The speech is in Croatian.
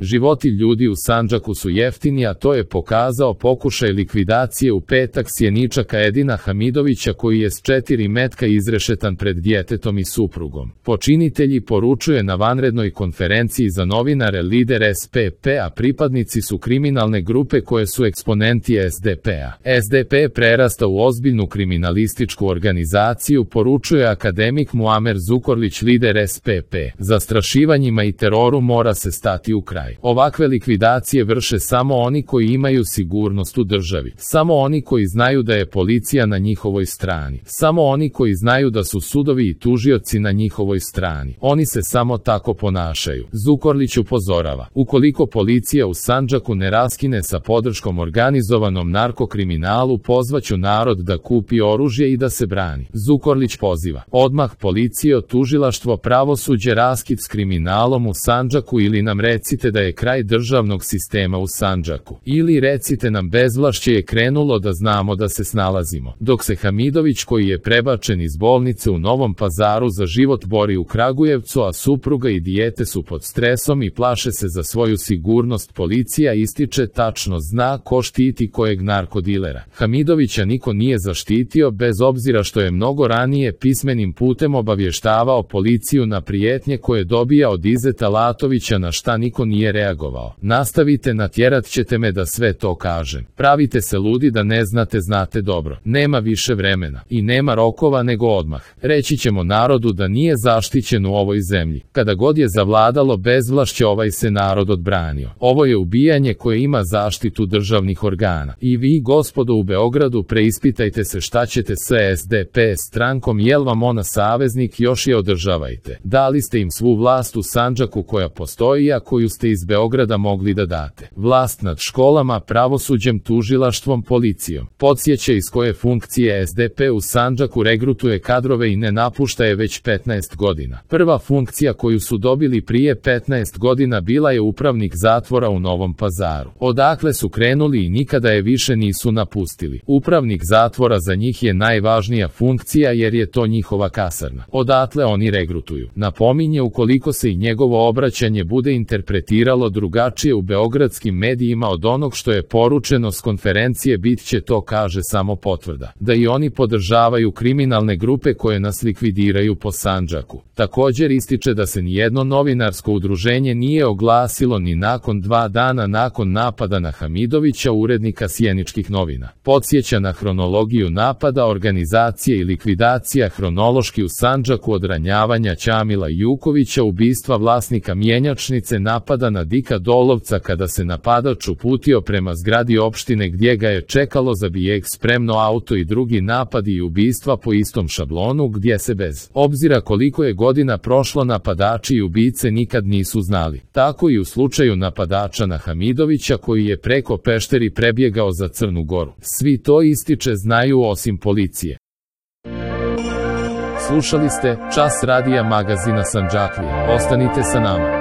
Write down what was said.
Životi ljudi u Sandžaku su jeftini, a to je pokazao pokušaj likvidacije u petak sjeničaka Edina Hamidovića koji je s 4 metka izrešetan pred djetetom i suprugom. Počinitelji, poručuje na vanrednoj konferenciji za novinare lider SPP-a, pripadnici su kriminalne grupe koje su eksponenti SDP-a. SDP je prerastao u ozbiljnu kriminalističku organizaciju, poručuje akademik Muamer Zukorlić, lider SPP. Zastrašivanjima i teroru mora se stati u kraj. Ovakve likvidacije vrše samo oni koji imaju sigurnost u državi, samo oni koji znaju da je policija na njihovoj strani, samo oni koji znaju da su sudovi i tužioci na njihovoj strani. Oni se samo tako ponašaju. Zukorlić upozorava, ukoliko policija u Sandžaku ne raskine sa podrškom organizovanom narkokriminalu, pozvaću narod da kupi oružje i da se brani. Zukorlić poziva, odmah policija, tužilaštvo, pravosuđe, raskid s kriminalom u Sandžaku ili nam recite da je kraj državnog sistema u Sandžaku. Ili recite nam bezvlašće je krenulo da znamo da se snalazimo. Dok se Hamidović, koji je prebačen iz bolnice u Novom Pazaru za život, bori u Kragujevcu, a supruga i dijete su pod stresom i plaše se za svoju sigurnost, policija ističe tačno zna ko štiti kojeg narkodilera. Hamidovića niko nije zaštitio, bez obzira što je mnogo ranije pismenim putem obavještavao policiju na prijetnje koje dobija od Izeta Latovića, na šta niko nije reagovao. Nastavite, natjerat ćete me da sve to kažem. Pravite se ludi da ne znate, znate dobro. Nema više vremena i nema rokova nego odmah. Reći ćemo narodu da nije zaštićen u ovoj zemlji. Kada god je zavladalo bezvlašće, ovaj se narod odbranio. Ovo je ubijanje koje ima zaštitu državnih organa. I vi, gospodo u Beogradu, preispitajte se šta ćete s SDP strankom, jel vam ona saveznik, još je održavajte. Dali ste im svu vlast u Sandžaku koja postoji, a koju ste iz Beograda mogli da date. Vlast nad školama, pravosuđem, tužilaštvom, policijom. Podsjeća iz koje funkcije SDP u Sandžaku regrutuje kadrove i ne napušta je već 15 godina. Prva funkcija koju su dobili prije 15 godina bila je upravnik zatvora u Novom Pazaru. Odakle su krenuli i nikada je više nisu napustili. Upravnik zatvora za njih je najvažnija funkcija jer je to njihova kasarna. Odatle oni regrutuju. Napominje, ukoliko se i njegovo obraćanje bude interpretiralo drugačije u beogradskim medijima od onog što je poručeno s konferencije, bit će to, kaže, samo potvrda da i oni podržavaju kriminalne grupe koje nas likvidiraju po Sandžaku. Također ističe da se nijedno novinarsko udruženje nije oglasilo ni nakon 2 dana nakon napada na Hamidovića, urednika sjeničkih novina. Podsjeća na hronologiju napada, organizacije i likvidacija hronološki u Sandžaku od ranjavanja Ćamila Jukovića, ubistva vlasnika mjenjačnice, napada na Dika Dolovca kada se napadač uputio prema zgradi opštine gdje ga je čekalo za bijeg spremno auto, i drugi napadi i ubistva po istom šablonu gdje se bez obzira koliko je godina prošlo napadači i ubice nikad nisu znali. Tako i u slučaju napadača na Hamidovića koji je preko Pešteri prebjegao za Crnu Goru. Svi to, ističe, znaju osim policije. Slušali ste Čas radija magazina Sandžaklija. Ostanite sa nama.